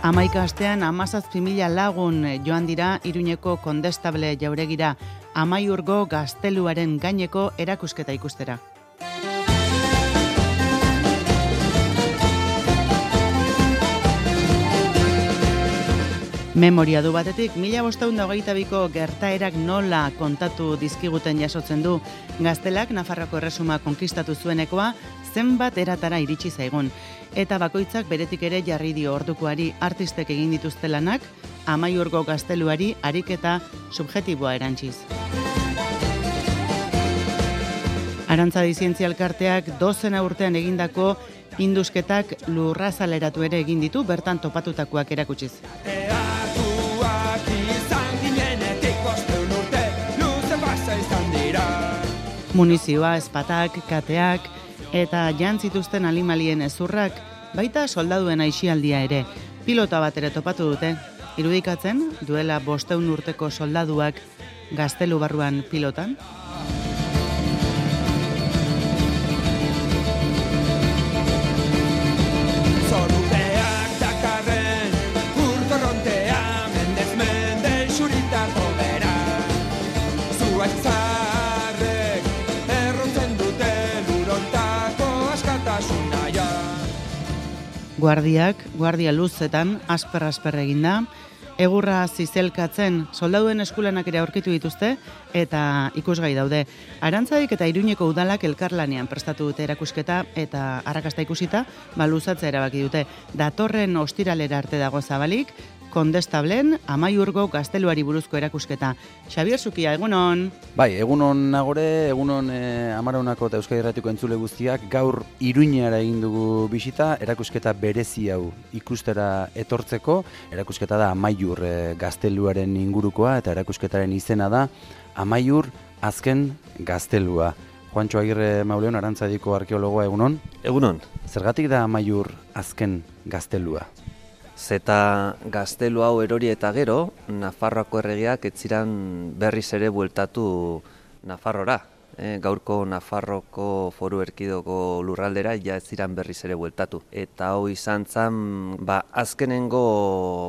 11 astean 17.000 lagun joan dira Iruñeko Kondestable jauregira Amaiurgo gazteluaren gaineko erakusketa ikustera. Memoria du batetik, 1522ko gertaerak nola kontatu dizkiguten jasotzen du. Gaztelak Nafarroako erresuma konkistatu zuenekoa zenbat eratara iritsi zaigun. Eta bakoitzak beretik ere jarri dio ordukoari artistek egin dituzte lanak, Amaiurgo gazteluari ariketa subjektiboa erantziz. Arantzadi Zientzia Elkarteak 12 urtean egindako indusketak lurrazaleratu ere egin ditu, bertan topatutakoak erakutsiz. Munizioa, espatak, kateak eta jantzituzten animalien ezurrak, baita soldaduen aisialdia ere. Pilota bat ere topatu dute, irudikatzen duela 500 urteko soldaduak gaztelu barruan pilotan. Guardia luzetan, asper eginda, egurra zizelkatzen soldaduen eskulanak ere aurkitu dituzte eta ikusgai daude. Arantzadik eta Iruñeko udalak elkarlanean prestatu dute erakusketa eta arrakasta ikusita, luzatzea erabaki dute. Datorren ostiralera arte dago zabalik, Kondestablen Amaiurgo gazteluari buruzko erakusketa. Xabier Zukia, egunon? Bai, egunon nagore, egunon Amaraunako eta Euskadi Irratiko entzule guztiak, gaur Iruñara egin dugu bisita, erakusketa berezi hau ikustera etortzeko. Erakusketa da Amaiur gazteluaren ingurukoa eta erakusketaren izena da Amaiur azken gaztelua. Juantxo Agirre Mauleon, Arantzadiko arkeologoa, egunon? Egunon. Zergatik da Amaiur azken gaztelua? Zeta gaztelu hau erori eta gero, Nafarroako erregeak ez ziren berriz ere bueltatu Nafarrora. Gaurko Nafarroko Foru Erkidegoko lurraldera ja ez ziren berriz ere bueltatu. Eta hau izan zen, azkenengo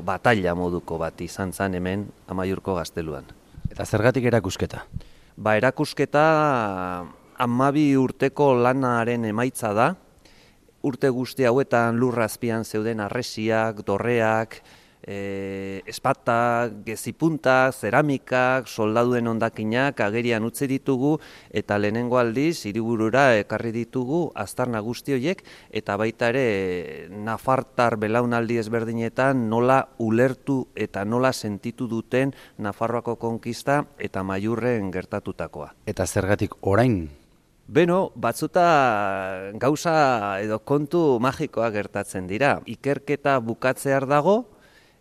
batalla moduko bat izan zen hemen Amaiurko gazteluan. Eta zergatik erakusketa? Erakusketa 12 urteko lanaren emaitza da. Urte guzti hauetan lurra azpian zeuden harresiak, dorreak, espatak, gezipuntak, zeramikak, soldaduen hondakinak agerian utzi ditugu eta lehenengo aldiz hiriburura ekarri ditugu aztarna guzti horiek eta baita ere nafartar belaunaldi ezberdinetan nola ulertu eta nola sentitu duten Nafarroako konkista eta Amaiurren gertatutakoa. Eta zergatik orain? Beno, batzuta gauza edo kontu magikoa gertatzen dira. Ikerketa bukatzear dago,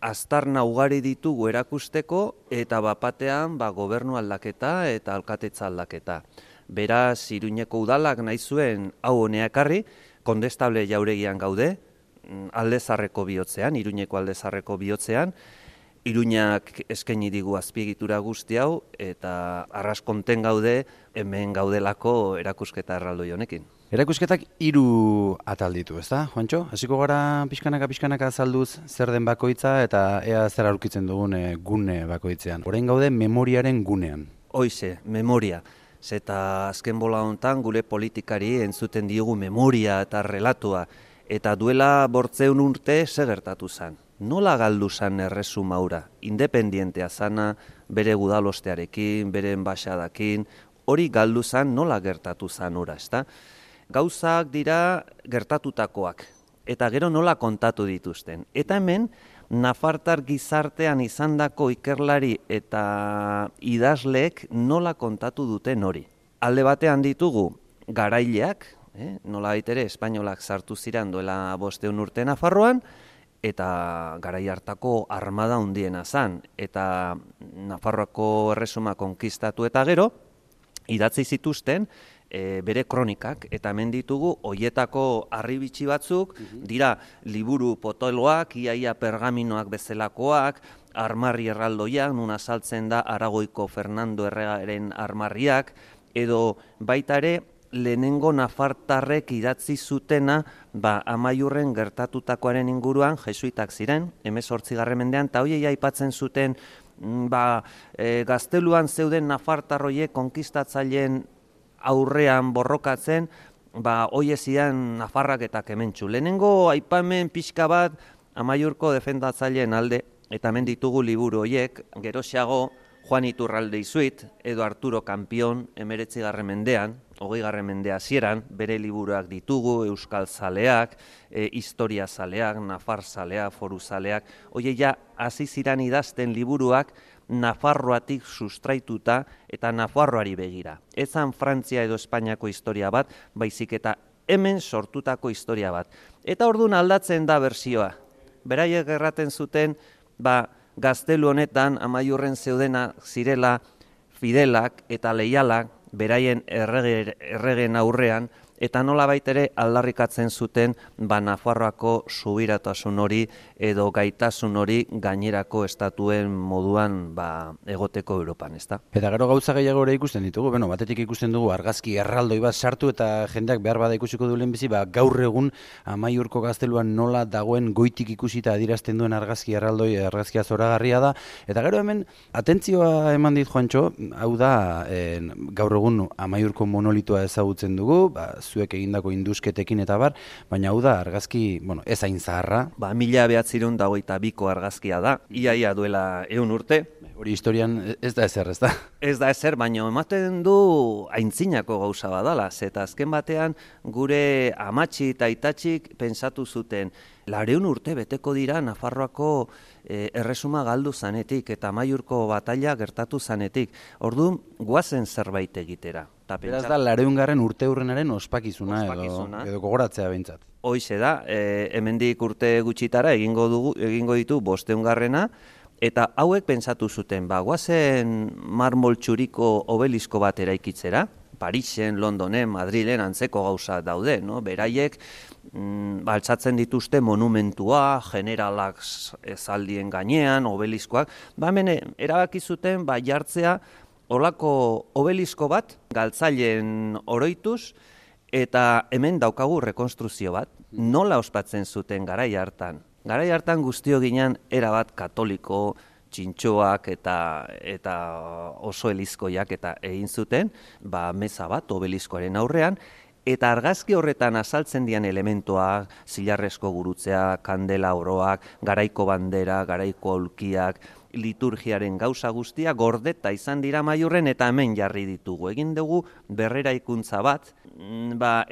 aztarna ugari ditugu erakusteko eta bapatean gobernu aldaketa eta alkatetza aldaketa. Beraz, Iruñeko udalak nahi zuen hau honea ekarri, Kondestable jauregian gaude, Aldezarreko bihotzean, Iruñeko Aldezarreko bihotzean, Iruñak eskaini digu azpiegitura guzti hau eta arraskonten gaude hemen gaudelako erakusketa erraldoi honekin. Erakusketak 3 atal ditu, ezta, Juantxo? Hasiko gara pixkanaka azalduz zer den bakoitza eta ea zer aurkitzen dugun gune bakoitzean. Orain gaude memoriaren gunean. Hoize, memoria. Zeta azken bola hontan gure politikari entzuten diogu memoria eta relatua. Eta duela 800 urte zer gertatu zen. Nola galdu zen erresuma hura? Independientea zana, bere gudalostearekin, bere enbaxadakin, hori galdu zen nola gertatu zen hura, ezta? Gauzak dira gertatutakoak, eta gero nola kontatu dituzten. Eta hemen, nafartar gizartean izandako ikerlari eta idazleek nola kontatu duten hori. Alde batean ditugu garaileak, nola baitere espainolak sartu ziren duela 500 urte Nafarroan, eta garai hartako armada handiena zen, eta Nafarroako erresuma konkistatu eta gero, idatzi zituzten bere kronikak, eta hemen ditugu hoietako harribitxi batzuk, dira liburu potoloak, iaia pergaminoak bezalakoak, armarri erraldoiak, nun azaltzen da Aragoiko Fernando Erregaren armarriak, edo baita ere lehenengo nafartarrek idatzi zutena Amaiurren gertatutakoaren inguruan jesuitak ziren, 18. mendean, eta hoiei aipatzen zuten gazteluan zeuden nafartarroiek konkistatzaileen aurrean borrokatzen, hoie zidan nafarrak eta kementxu. Lehenengo aipamen pixka bat Amaiurko defendatzaileen alde, eta hemen ditugu liburu hoiek, geroxeago Juan Iturralde Izuit, edo Arturo Kampion, 19. mendean, 20. mende hasieran, bere liburuak ditugu, Euskal Zaleak, Historia Zaleak, Nafar Zaleak, Foru Zaleak, hoie ja hasi ziran idazten liburuak Nafarroatik sustraituta eta Nafarroari begira. Ezan Frantzia edo Espainiako historia bat, baizik eta hemen sortutako historia bat. Eta orduan aldatzen da bersioa. Beraiek erraten zuten, gaztelu honetan Amaiurren zeudena zirela fidelak eta leialak beraien erregen aurrean, eta nolabait ere aldarrikatzen zuten Nafarroako subiratasun hori edo gaitasun hori gainerako estatuen moduan egoteko Europan, ezta? Eta gero gauza gehiago ere ikusten ditugu, batetik ikusten dugu argazki erraldoi bat sartu eta jendeak behar bada ikusiko du lehenbizi, gaur egun Amaiurko gazteluan nola dagoen goitik ikusita adierazten duen argazki erraldoi, argazkia zoragarria da, eta gero hemen atentzioa eman dit Juantxo, hau da gaur egun Amaiurko monolitoa ezagutzen dugu, zuek egindako indusketekin eta bar, baina hau da argazki, ez hain zaharra. 1922ko argazkia da, iaia duela 100 urte. Hori historian ez da ezer, ez da? Ez da ezer, baina ematen du aintzinako gauza badala, eta azken batean gure amatxi eta aitatxik pentsatu zuten, 200 urte beteko dira Nafarroako erresuma galdu zanetik eta Amaiurko bataila gertatu zanetik. Orduan, guazen zerbait egitera. Beraz da, 200. urte hurrenaren ospakizuna edo gogoratzea behintzat. Hoize da, hemendik urte gutxitara egingo ditu 500. Eta hauek pentsatu zuten, guazen marmol txuriko obelisko bat eraikitzera, Parisen, Londonen, Madrilen antzeko gauza daude, beraiek altzatzen dituzte monumentua, generalak zaldien gainean, obeliskoak, hemen erabaki zuten jartzea olako obelisko bat, galtzaileen oroituz, eta hemen daukagu rekonstruzio bat, nola ospatzen zuten garai hartan. Garai hartan guztio ginen erabat katoliko, txintxoak eta oso elizkoiak eta egin zuten, meza bat obeliskoaren aurrean, eta argazki horretan azaltzen dian elementoak, zilarrezko gurutzea, kandela oroak, garaiko bandera, garaiko aulkiak, liturgiaren gauza guztia gordeta izan dira Amaiurren eta hemen jarri ditugu. Egin dugu berreraikuntza bat,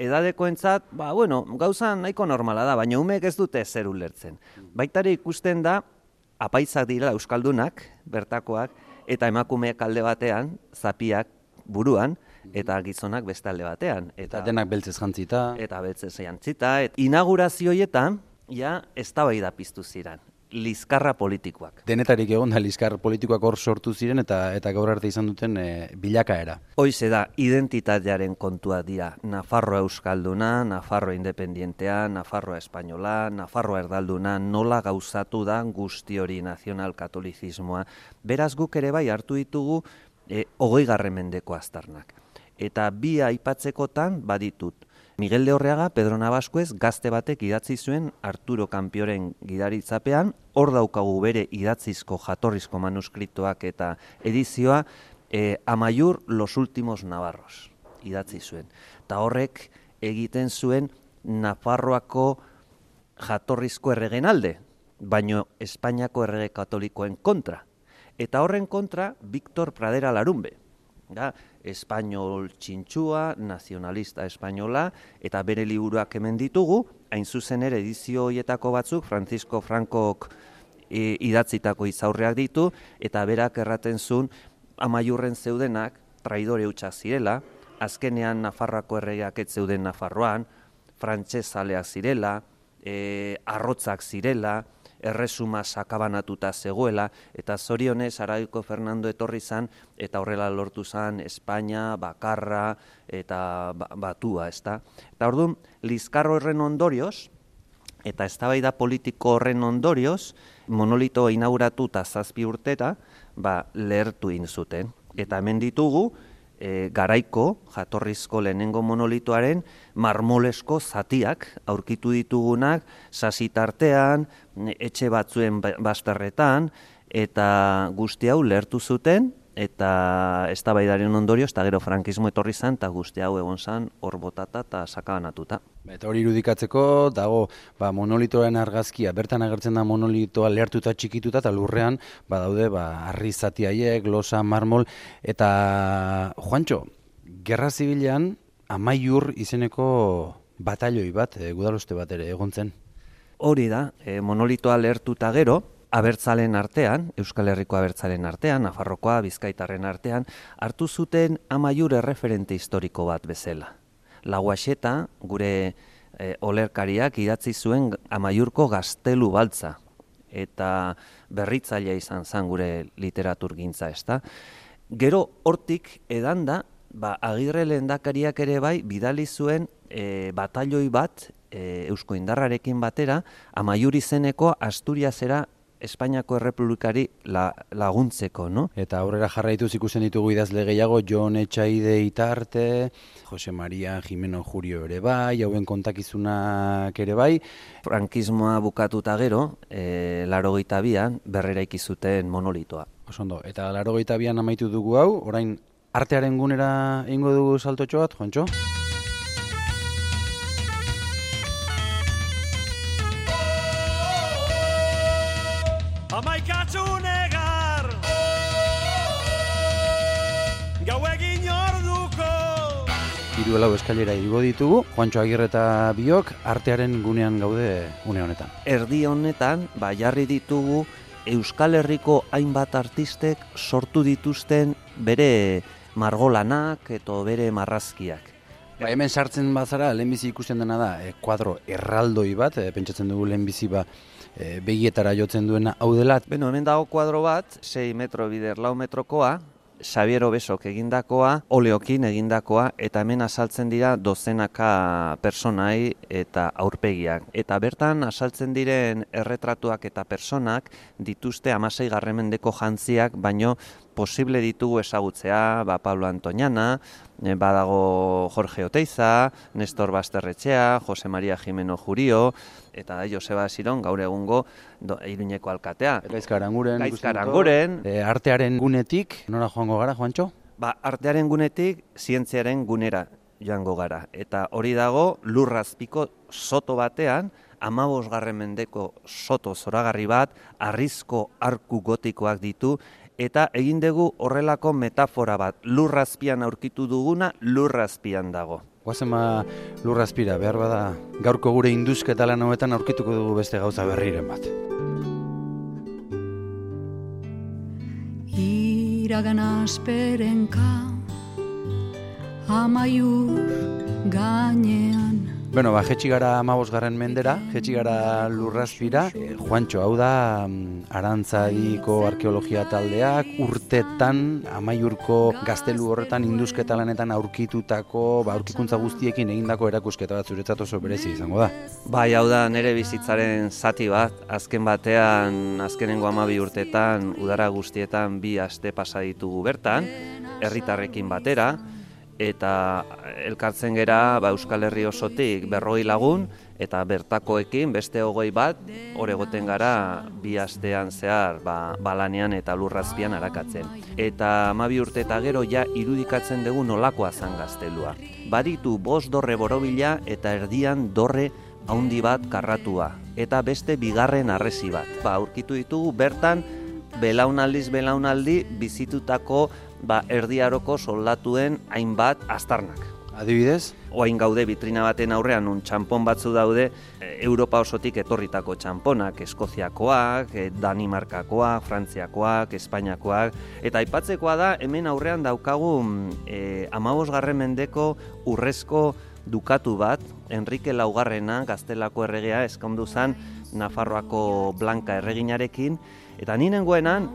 edadekoentzat, gauza nahiko normala da, baina umeek ez dute ezer ulertzen. Baitare ikusten da, apaizak dira euskaldunak, bertakoak, eta emakumeek alde batean, zapiak buruan, eta gizonak beste alde batean. Eta denak beltzez jantzita. Eta beltzez jantzita. Inaugurazioietan, eztabaida piztu ziren. Lizkarra politikoak. Denetarik egon da lizkar politikoak hor sortu ziren eta gaur arte izan duten bilakaera. Hoize da, identitatearen kontua dira. Nafarroa euskalduna, Nafarroa independientea, Nafarroa espainola, Nafarroa erdalduna, nola gauzatu da guzti hori nazional-katolizismoa. Beraz guk ere bai hartu ditugu 20. mendeko aztarnak. Eta bi aipatzekotan baditut. Miguel de Orreaga, Pedro Nabaskuez, gazte batek idatzi zuen Arturo Kampioren gidaritzapean, hor daukagu bere idatzizko jatorrizko manuskriptoak eta edizioa, Amaiur los últimos navarros idatzi zuen. Eta horrek egiten zuen Nafarroako jatorrizko erregen alde, baino Espainiako errege katolikoen kontra. Eta horren kontra, Víctor Pradera Larumbe. Espainol txintxua, nazionalista espainola, eta bere liburuak hemen ditugu, hain zuzen ere edizio horietako batzuk, Francisco Francok idatzitako izaurreak ditu, eta berak erraten zuen Amaiurren zeudenak traidore hutsak zirela, azkenean Nafarroako erregeak ez zeuden Nafarroan, frantsesaleak zirela, arrotzak zirela, erresuma sakabanatuta zegoela, eta zorionez Araiko Fernando etorri zan, eta horrela lortu zan Espainia, bakarra, eta batua, ezta? Eta orduan, lizkar horren ondorioz, eta eztabaida politiko horren ondorioz, monolito inauguratu eta 7 urteta, lehertu egin zuten. Eta hemen ditugu, garaiko, jatorrizko lehenengo monolitoaren marmolesko zatiak aurkitu ditugunak sasitartean, etxe batzuen bazterretan, eta guzti hau lehertu zuten, eta eztabaidaren ondorioz, eta gero frankismo etorri zen, eta guzti hau egon zen hor botata eta sakabanatuta. Eta hori irudikatzeko dago monolitoaren argazkia, bertan agertzen da monolitoa lehertuta txikituta eta lurrean badaude harri zati haiek, losa, marmol, eta Juantxo, Gerra Zibilean Amaiur izeneko batailoi bat, gudaroste bat ere egon zen. Hori da, monolitoa lehertuta gero, abertzalen artean, Euskal Herriko abertzalen artean, Nafarrokoa, Bizkaitarren artean, hartu zuten Amaiur erreferente historiko bat bezala. Lauaxeta, gure olerkariak idatzi zuen Amaiurko gaztelu baltza, eta berritzailea izan zen gure literaturgintza, ezta. Gero hortik edanda, Agirre lehendakariak ere bai bidali zuen batailoi bat Eusko Indarrarekin batera, Amaiur izeneko Asturiasera Espainiako Errepublikari laguntzeko, no? Eta aurrera jarraituz ikusten ditugu idazle gehiago, Jon Etxaide Itarte, Jose Maria Jimeno Jurio ere bai, hauen kontakizunak ere bai. Frankismoa bukatuta gero, 82an berreraiki zuten monolitoa. Osondo, eta 82an amaitu dugu hau, orain artearen gunera egingo dugu saltotxo bat, Juantxo? Amaikatzu negar gau egin orduko. 3-4 eskailera igo ditugu, Juantxo Agirre eta biok artearen gunean gaude une honetan. Erdi honetan, jarri ditugu Euskal Herriko hainbat artistek sortu dituzten bere margolanak eta bere marrazkiak. Hemen sartzen bazara, lehenbizi ikusten dena da, kuadro erraldoi bat, pentsatzen dugu lehenbizi begietara jotzen duena hau dela. Hemen dago kuadro bat, 6 metro bider 4 metrokoa, Xabier Obesok egindakoa, oleokin egindakoa, eta hemen azaltzen dira dozenaka personai eta aurpegiak. Eta bertan azaltzen diren erretratuak eta personak dituzte 16. mendeko jantziak, baino posible ditugu ezagutzea, Pablo Antoniana, badago Jorge Oteiza, Nestor Basterretxea, Jose Maria Jimeno Jurio, eta Joseba Ziron, gaur egungo Iruñeko alkatea. Gaizka Aranguren. Artearen gunetik, nora joango gara, Juantxo? Artearen gunetik, zientziaren gunera joango gara. Eta hori dago, lurrazpiko soto batean, 15. mendeko soto zoragarri bat, harrizko arku gotikoak ditu, eta egin dugu horrelako metafora bat, lurrazpian aurkitu duguna, lurrazpian dago. Guazen lurrazpira, behar bada gaurko gure induzketa lan hauetan aurkituko dugu beste gauza berriren bat. Iragan asperenka Amaiur gainean. Bueno, jetxi gara 15. mendera, jetxi gara lurrazpira. Juantxo, hau da Arantzadiko arkeologia taldeak urtetan Amaiurko gaztelu horretan induzketa lanetan aurkitutako, aurkikuntza guztiekin egindako erakusketa bat zuretzat oso berezi izango da. Hau da nire bizitzaren zati bat, azken batean, azkenengo 12 urtetan, udara guztietan 2 aste pasa ditugu bertan, herritarrekin batera, eta elkartzen gera Euskal Herri osotik 40 lagun, eta bertakoekin beste 20 bat, hor egoten gara 2 astean zehar lanean eta lurrazpian arakatzen. Eta 12 urte eta gero irudikatzen dugu nolakoa zan gaztelua. Baditu 5 dorre borobila eta erdian dorre haundi bat karratua, eta beste 2. harresi bat. Aurkitu ditugu bertan belaunaldi bizitutako erdiaroko soldatuen hainbat aztarnak. Adibidez? Oain gaude vitrina baten aurrean txanpon batzu daude Europa osotik etorritako txanponak, Eskoziakoak, Danimarkakoak, Frantziakoak, Espainiakoak, eta aipatzekoa da hemen aurrean daukagu 15. mendeko urrezko dukatu bat, Enrique Laugarrena, Gaztelako erregea, eskondu zen Nafarroako Blanka erreginarekin, eta ninengoenan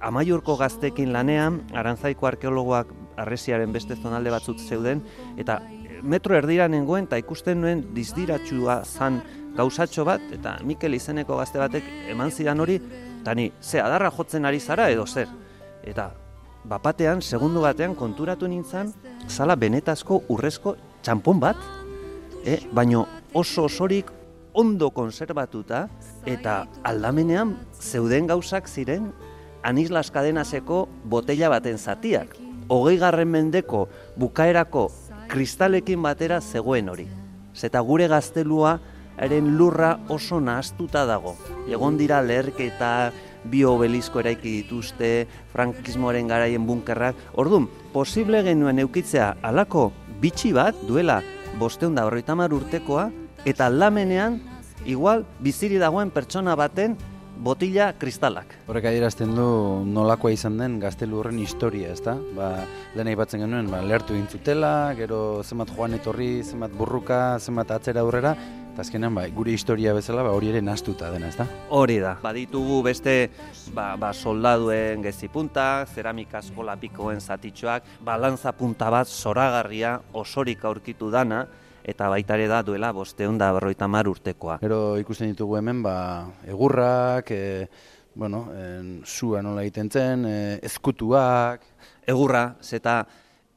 Amaiurko gaztekin lanean, Arantzaiko arkeologoak harresiaren beste zonalde batzuk zeuden, eta metro erdira nengoen, eta ikusten nuen dizdiratxua zan gauzatxo bat, eta Mikel izeneko gazte batek eman zidan hori, eta ni, ze adarra jotzen ari zara edo zer? Eta bapatean, segundu batean konturatu nintzen, zala benetazko urrezko txampon bat, baino oso osorik ondo konserbatuta, eta aldamenean zeuden gauzak ziren Anislas Cadenaseko botella baten zatiak. 20. mendeko bukaerako kristalekin batera zegoen hori. Zeta gure gaztelua eren lurra oso nahaztuta dago. Egon dira leherketa, bi obelisko eraiki dituzte, frankismoaren garaien bunkerrak. Orduan, posible genuen eukitzea alako bitxi bat duela 550 urtekoa, eta aldamenean, igual, biziri dagoen pertsona baten botila kristalak. Horrek adierazten du nolakoa izan den gaztelu horren historia, ezta? Lehen aipatzen genuen, lehertu gintzutela, gero zenbat joan etorri, zenbat burruka, zenbat atzera aurrera, eta azkenean gure historia bezala hori ere nahaztuta dena, ezta? Hori da. Baditugu beste soldaduen gezipuntak, zeramika eskola pikoen zatitxoak, balantza punta bat zoragarria osorik aurkitu dana, eta baita ere da duela 550 urtekoa. Gero ikusten ditugu hemen, egurrak, sua nola egiten zen, ezkutuak. Egurra, zeta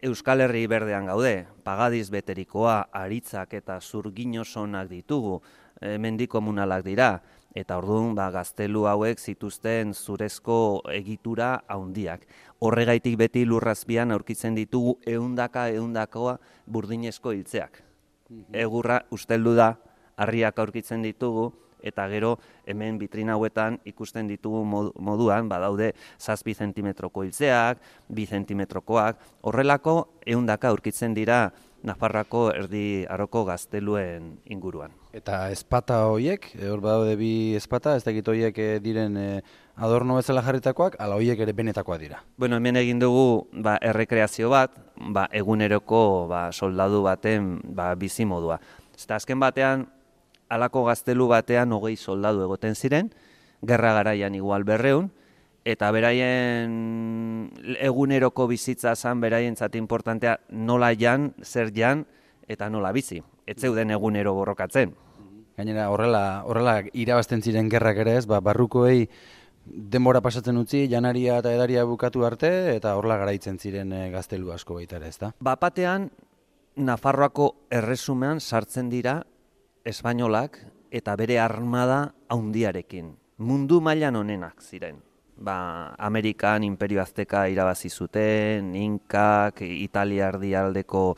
Euskal Herri berdean gaude, pagadiz beterikoa, aritzak eta zurginosonak ditugu, mendikomunalak dira, eta orduan gaztelu hauek zituzten zurezko egitura handiak. Horregaitik beti lurrazpian aurkitzen ditugu ehundakoa burdinezko hiltzeak. Egurra usteldu da, harriak aurkitzen ditugu, eta gero hemen bitrina hauetan ikusten ditugu moduan, badaude 7 zentimetroko hiltzeak, 2 zentimetrokoak, horrelako ehundaka aurkitzen dira Nafarroako erdi aroko gazteluen inguruan. Eta ezpata horiek, hor badaude bi ezpata, ez dakit horiek diren adorno bezala jarritakoak, ala horiek ere benetakoak dira. Bueno, hemen egin dugu errekreazio bat, eguneroko soldadu baten bizimodua. Eta azken batean, halako gaztelu batean 20 soldadu egoten ziren, gerra garaian igual 200, eta beraien eguneroko bizitza zen beraientzat importantea nola jan, zer jan, eta nola bizi. Ez zeuden egunero borrokatzen. Gainera horrela irabazten ziren gerrak ere ez, barrukoei denbora pasatzen utzi, janaria eta edaria bukatu arte, eta horrela garaitzen ziren gaztelu asko baita ere, ez da? Bapatean, Nafarroako erresumean sartzen dira espainolak eta bere armada handiarekin. Mundu mailan onenak ziren. Amerikan Imperio Azteka irabazi zuten, Inkak, Italia erdialdeko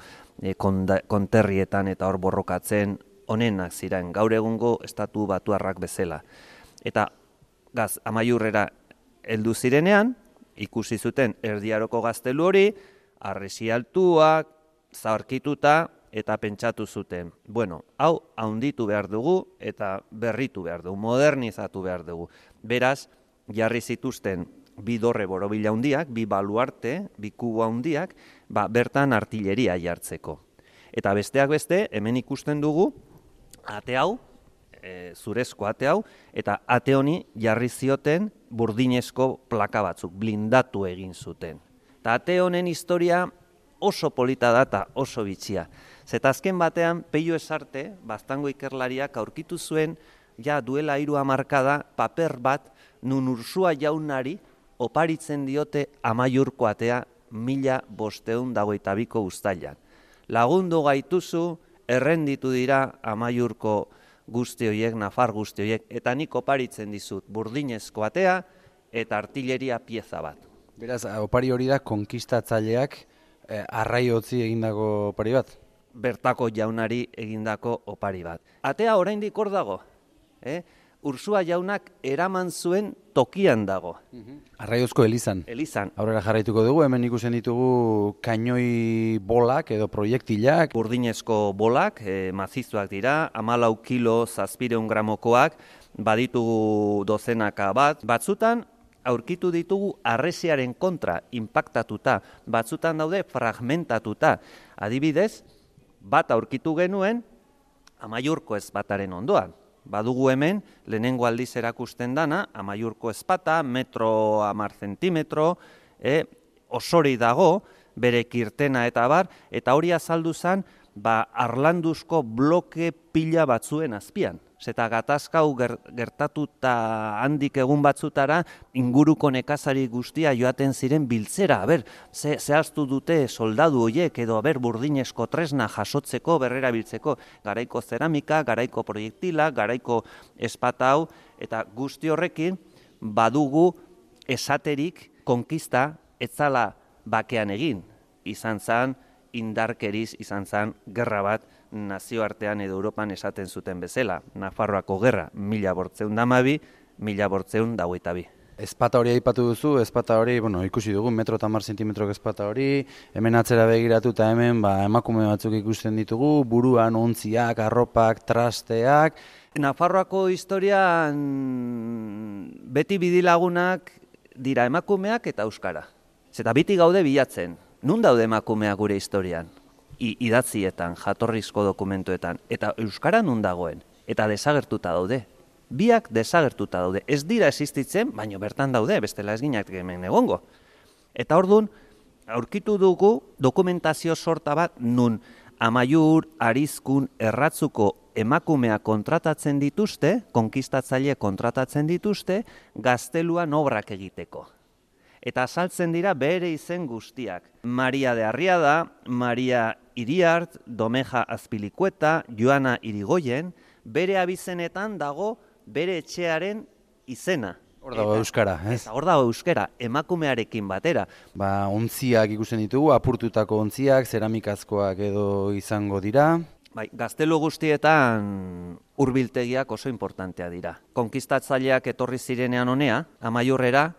konterrietan eta hor borrokatzen onenak ziren, gaur egungo estatu batuarrak bezala. Eta Amaiurrera heldu zirenean, ikusi zuten erdiaroko gaztelu hori, harresi altuak, zaharkituta eta pentsatu zuten. Hau handitu behar dugu eta berritu behar dugu, modernizatu behar dugu. Beraz, jarri zituzten bi dorre borobila handiak, bi baluarte, bi kubo handiak, bertan artilleria jartzeko. Eta besteak beste, hemen ikusten dugu, ate hau, zurezko ate hau, eta ate honi jarri zioten burdinezko plaka batzuk, blindatu egin zuten. Eta ate honen historia oso polita da eta oso bitxia. Zeta azken batean, Peio Esarte, Baztango ikerlariak aurkitu zuen, duela 3 hamarkada, paper bat, nun Ursua jaunari oparitzen diote Amaiurko atea 1522ko uztailan. Lagundu gaituzu, errenditu dira Amaiurko guzti horiek, Nafar guzti horiek, eta nik oparitzen dizut burdinezko atea eta artilleria pieza bat. Beraz, opari hori da konkistatzaileak arraiotzi egindako opari bat? Bertako jaunari egindako opari bat. Atea oraindik hor dago. Ursua jaunak eraman zuen tokian dago. Arraiozko elizan. Elizan. Aurrera jarraituko dugu, hemen ikusten ditugu kainoi bolak edo proiektilak. Burdinezko bolak, mazizuak dira, 14 kilo 700 gramokoak, baditugu dozenaka bat. Batzutan, aurkitu ditugu harresiaren kontra inpaktatuta, batzutan daude fragmentatuta. Adibidez, bat aurkitu genuen Amaiurko ezpataren ondoan. Badugu hemen, lehenengo aldiz erakusten dana, Amaiurko ezpata, 1,10 zentimetro, osori dago, bere kirtena eta bar, eta hori azaldu zen, harlanduzko bloke pila batzuen azpian. Zeta gatazkau gertatuta handik egun batzutara, inguruko nekazari guztia joaten ziren biltzera. Zehaztu dute soldadu horiek edo burdinezko tresna jasotzeko, berrera biltzeko. Garaiko zeramika, garaiko proiektila, garaiko espatau, eta guzti horrekin badugu esaterik konkista etzala bakean egin. Izan zen indarkeriz, izan zen gerra bat nazioartean edo Europan esaten zuten bezala. Nafarroako gerra, 1812, 1822. Ezpata hori aipatu duzu, ezpata hori, ikusi dugu, 1,10 m ezpata hori, hemen atzera begiratu eta hemen emakume batzuk ikusten ditugu, buruan ontziak, arropak, trasteak. Nafarroako historian beti bidilagunak dira emakumeak eta euskara. Zeta biti gaude bilatzen, nun daude emakumeak gure historian? Idatzietan, jatorrizko dokumentuetan, eta euskara nun dagoen, eta desagertuta daude. Biak desagertuta daude. Ez dira existitzen, baina bertan daude, bestela ez ginak hemen egongo. Eta orduan, aurkitu dugu dokumentazio sorta bat nun Amaiur, Arizkun, Erratzuko emakumeak kontratatzen dituzte, konkistatzaile kontratatzen dituzte, gazteluan obrak egiteko. Eta azaltzen dira bere izen guztiak. Maria de Arriada, Maria Iriart, Domeja Azpilikueta, Joana Irigoyen, bere abizenetan dago bere etxearen izena. Hor dago euskara, ez? Hor dago euskara, emakumearekin batera. Ontziak ikusten ditugu, apurtutako ontziak, zeramikazkoak edo izango dira. Gaztelu guztietan hurbiltegiak oso importantea dira. Konkistatzaileak etorri zirenean honea, Amaiurrera,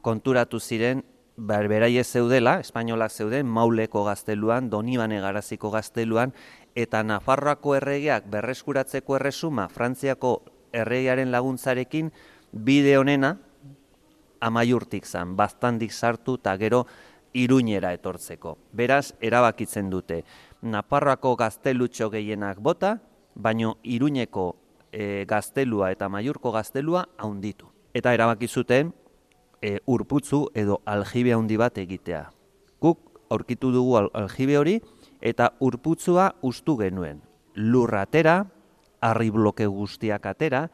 konturatu ziren, beraiek zeudela, espainolak zeuden, Mauleko gazteluan, Donibane Garaziko gazteluan, eta Nafarroako erregeak berreskuratzeko erresuma, Frantziako erregearen laguntzarekin, bide honena Amaiurtik zan, Baztandik sartu eta gero Iruñera etortzeko. Beraz, erabakitzen dute. Nafarroako gaztelutxo gehienak bota, baino Iruñeko gaztelua eta Amaiurko gaztelua handitu. Eta erabaki zuten urputzu edo aljibe handi bat egitea. Guk aurkitu dugu aljibe hori eta urputzua ustu genuen. Lurra atera, harri bloke guztiak atera,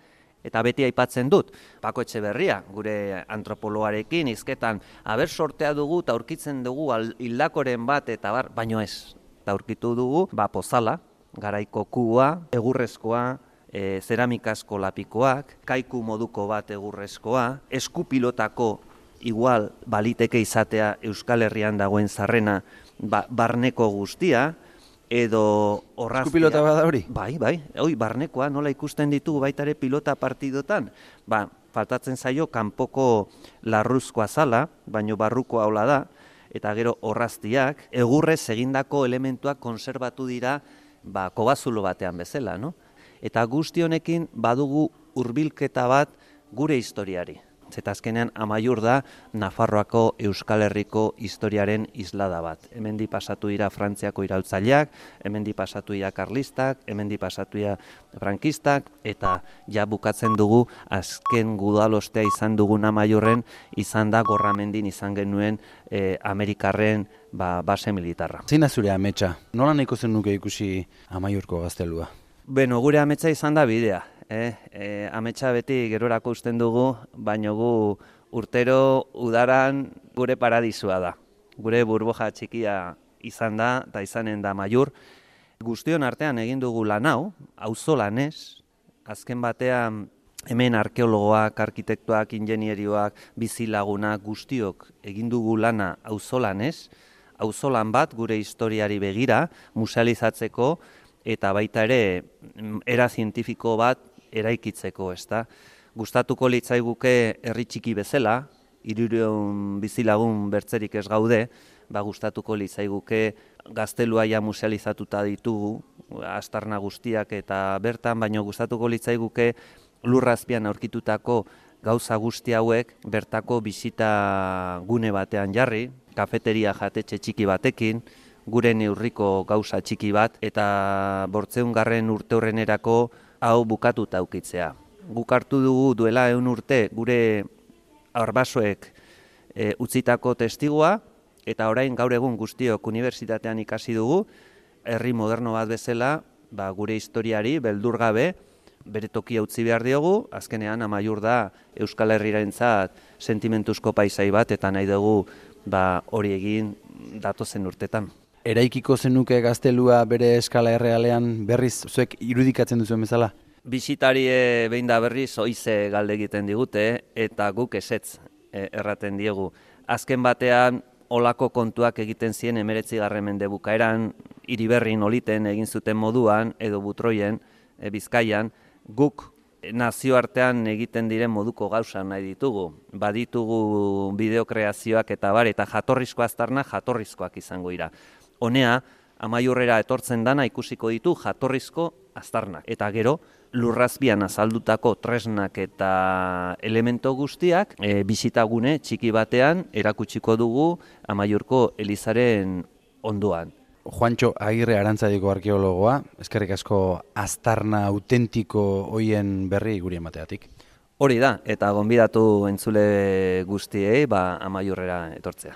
eta beti aipatzen dut, Pako Etxeberria, gure antropologarekin, hizketan, sortea dugu eta aurkitzen dugu hildakoren bat, eta baino ez. Eta aurkitu dugu, pozala, garaiko kubua, egurrezkoa, zeramikazko lapikoak, kaiku moduko bat egurrezkoa, eskupilotako igual baliteke izatea Euskal Herrian dagoen zarrena barneko guztia, edo orraztia. Eskupilota bada hori? Bai, barnekoa nola ikusten ditugu baita ere pilota partidotan. Faltatzen zaio kanpoko larruzko azala, baino barruko aula da, eta gero orraztiak, egurrez egindako elementuak konserbatu dira kobazulo batean bezala, no? Eta guzti honekin badugu hurbilketa bat gure historiari. Zeta azkenean Amaiur da Nafarroako Euskal Herriko historiaren islada bat. Hemendi pasatu dira Frantziako iraultzaileak, hemendi pasatu dira karlistak, hemendi pasatu dira frankistak, eta ja bukatzen dugu azken gudalostea izan dugun Amaiurren izan da Gorramendin izan genuen Amerikarren base militarra. Zein da zure ametsa? Nola nahiko zen nuke ikusi Amaiurko gaztelua? Gure ametsa izan da bidea. Ametsa beti gerorako usten dugu, baina gu urtero udaran gure paradisua da. Gure burbuja txikia izan da, eta izanen da Amaiur. Guztion artean egin dugu lan hau, auzolanez, azken batean hemen arkeologoak, arkitektoak, ingenierioak, bizilagunak, guztiok egin dugu lana auzolanez, auzolan bat gure historiari begira, musealizatzeko, eta baita ere era zientifiko bat eraikitzeko, ezta. Gustatuko litzaiguke herri txiki bezala, 300 bizilagun bertzerik ez gaude, gustatuko litzaiguke gaztelua ja musealizatuta ditugu, aztarna guztiak eta bertan, baina gustatuko litzaiguke lurrazpian aurkitutako gauza guzti hauek bertako bisita gune batean jarri, kafeteria jatetxe txiki batekin, gure neurriko gauza txiki bat, eta 800. urteurrenerako hau bukatuta aukitzea. Guk hartu dugu duela 100 urte gure arbasoek utzitako testigua, eta orain gaur egun guztiok unibertsitatean ikasi dugu, herri moderno bat bezala, gure historiari beldur gabe bere tokia utzi behar diogu, azkenean Amaiur da Euskal Herriarentzat sentimentuzko paisai bat, eta nahi dugu hori egin datozen urtetan. Eraikiko zenuke gaztelua bere eskala errealean berriz zuek irudikatzen duzuen bezala? Bisitari behin da berriz oize galde egiten digute, eta guk ezetz erraten diegu. Azken batean, olako kontuak egiten ziren 19. mende bukaeran, Iriberrin oliten egin zuten moduan, edo Butroien, Bizkaian, guk nazioartean egiten diren moduko gauza nahi ditugu. Baditugu bideokreazioak eta jatorrizko aztarnak jatorrizkoak izango dira. Honea, Amaiurrera etortzen dana ikusiko ditu jatorrizko aztarnak. Eta gero, lurrazpian azaldutako tresnak eta elemento guztiak bisitagune txiki batean erakutsiko dugu Amaiurko elizaren ondoan. Juantxo Agirre Arantzadiko arkeologoa, eskerrik asko aztarna autentiko hoien berri guri emateatik. Hori da, eta gonbidatu entzule guztiei Amaiurrera etortzea.